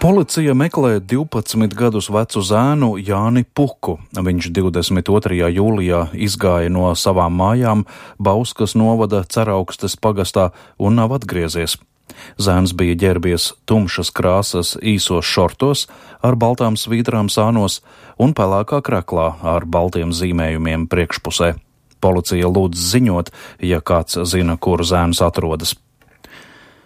Policija meklē 12 gadus vecu zēnu Jāni Puku. Viņš 22. jūlijā izgāja no savām mājām Bauskas novada Ceraukstes pagastā un nav atgriezies. Zēns bija ģērbies tumšas krāsas īsos šortos ar baltām svītrām sānos un pelēkā kraklā ar baltiem zīmējumiem priekšpusē. Policija lūdz ziņot, ja kāds zina, kur zēns atrodas.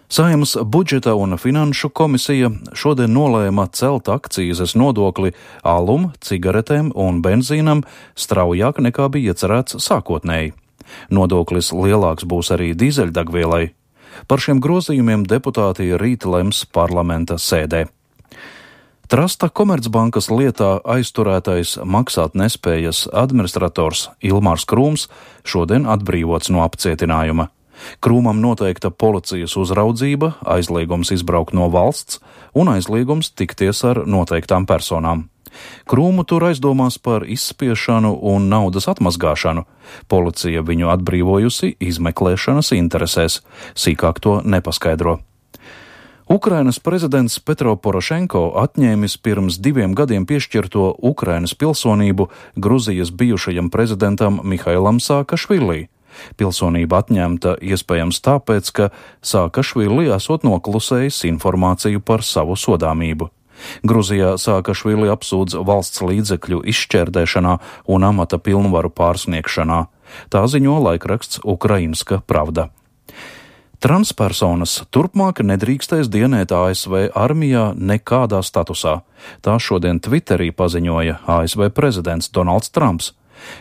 Saeimas budžeta un finanšu komisija šodien nolēma celt akcīzes nodokli alum, cigaretēm un benzīnam straujāk nekā bija iecerēts sākotnēji. Nodoklis lielāks būs arī dīzeļdegvielai. Par šiem grozījumiem deputāti rīt lems parlamenta sēdē. Trasta Komercbankas lietā aizturētais maksātnespējas administrators Ilmārs Krūms šodien atbrīvots no apcietinājuma. Krūmam noteikta policijas uzraudzība, aizliegums izbraukt no valsts un aizliegums tikties ar noteiktām personām. Krūmu tur aizdomās par izspiešanu un naudas atmazgāšanu. Policija viņu atbrīvojusi izmeklēšanas interesēs, sīkāk to nepaskaidro. Ukrainas prezidents Petro Porošenko atņēmis pirms 2 gadiem piešķirto Ukrainas pilsonību Gruzijas bijušajam prezidentam Mihailam Saakašvili. Pilsonība atņemta iespējams tāpēc, ka Saakašvili esot noklusējis informāciju par savu sodāmību. Gruzijā Saakašvili apsūdz valsts līdzekļu izšķērdēšanā un amata pilnvaru pārsniegšanā. Tā ziņo laikraksts Ukrainska Pravda. Transpersonas turpmāk nedrīkstēs dienēt ASV armijā nekādā statusā. Tā šodien Twitterī paziņoja ASV prezidents Donalds Trumps.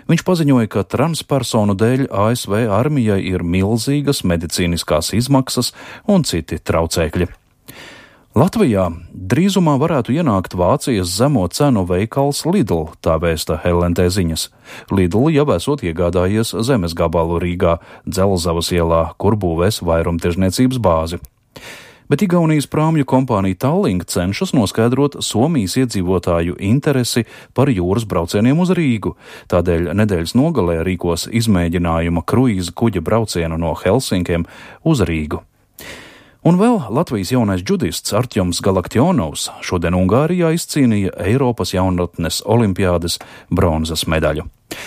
Viņš paziņoja, ka transpersonu dēļ ASV armijai ir milzīgas medicīniskās izmaksas un citi traucēkļi. Latvijā drīzumā varētu ienākt Vācijas zemo cenu veikals Lidl, tā vēsta LNT ziņas. Lidl jau esot iegādājies zemes gabalu Rīgā, Dzelzavas ielā, kur būvēs vairumtirdzniecības bāzi. Bet Igaunijas prāmju kompānija Tallink cenšas noskaidrot Somijas iedzīvotāju interesi par jūras braucieniem uz Rīgu. Tādēļ nedēļas nogalē rīkos izmēģinājuma kruīza kuģa braucienu no Helsinkiem uz Rīgu. Un vēl Latvijas jaunais džudists Artjoms Galaktionovs šodien Ungārijā izcīnīja Eiropas jaunatnes olimpiādes bronzas medaļu.